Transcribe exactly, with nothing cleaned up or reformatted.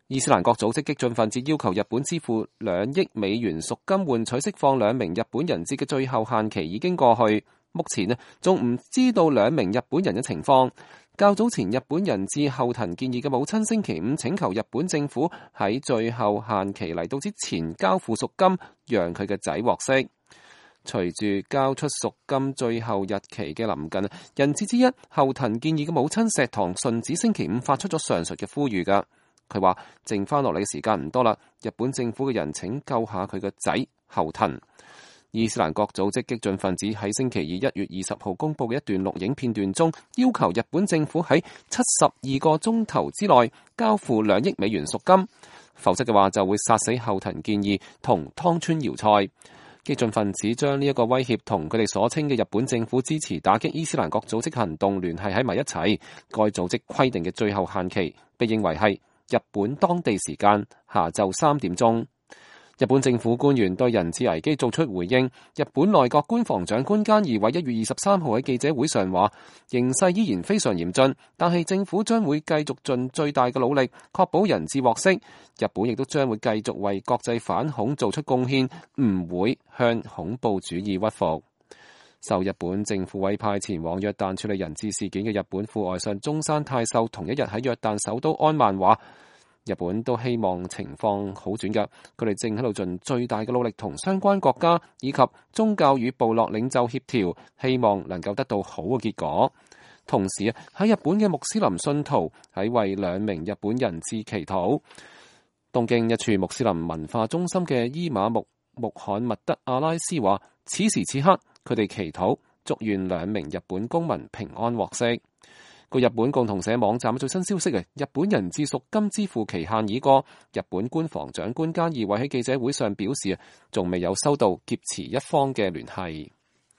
伊斯蘭國組織激進分子要求日本支付兩億美元贖金換取釋放兩名日本人質嘅最後限期已經過去，目前呢仲唔知道兩名日本人嘅情況。較早前日本人質後藤健二嘅母親星期五請求日本政府喺最後限期嚟到之前交付贖金，讓佢嘅仔獲釋。隨住交出贖金最後日期嘅臨近，人質之一後藤健二嘅母親石堂順子星期五發出咗上述嘅呼籲㗎。佢話剩翻落嚟嘅時間唔多啦，日本政府嘅人請救下佢個仔後藤。伊斯蘭國組織激進分子喺星期二一月二十號公布嘅一段錄影片段中，要求日本政府喺七十二個鐘頭之內交付兩億美元贖金，否則嘅話就會殺死後藤健二同湯川遙菜。激進分子將呢一個威脅同佢哋所稱嘅日本政府支持打擊伊斯蘭國組織行動聯繫喺埋一齊。該組織規定嘅最後限期被認為係日本當地時間下晝三點鐘。日本政府官員對人質危機做出回應。日本內閣官房長官菅義偉一月二十三號喺記者會上話，形勢依然非常嚴峻，但係政府將會繼續盡最大嘅努力，確保人質獲釋。日本亦都將會繼續為國際反恐做出貢獻，唔會向恐怖主義屈服。受日本政府委派前往約旦處理人質事件嘅日本副外相中山泰秀同一日喺約旦首都安曼話，日本都希望情況好轉嘅，佢哋正喺度盡最大嘅努力同相關國家以及宗教與部落領袖協調，希望能夠得到好嘅結果。同時啊，喺日本嘅穆斯林信徒喺為兩名日本人質祈禱。東京一處穆斯林文化中心嘅伊瑪目穆罕默德阿拉斯話，此時此刻佢哋祈禱，祝願兩名日本公民平安獲釋。據日本共同社網站最新消息，日本人質贖金支付期限已過。日本官房長官菅義偉喺記者會上表示，仲未有收到劫持一方嘅聯繫。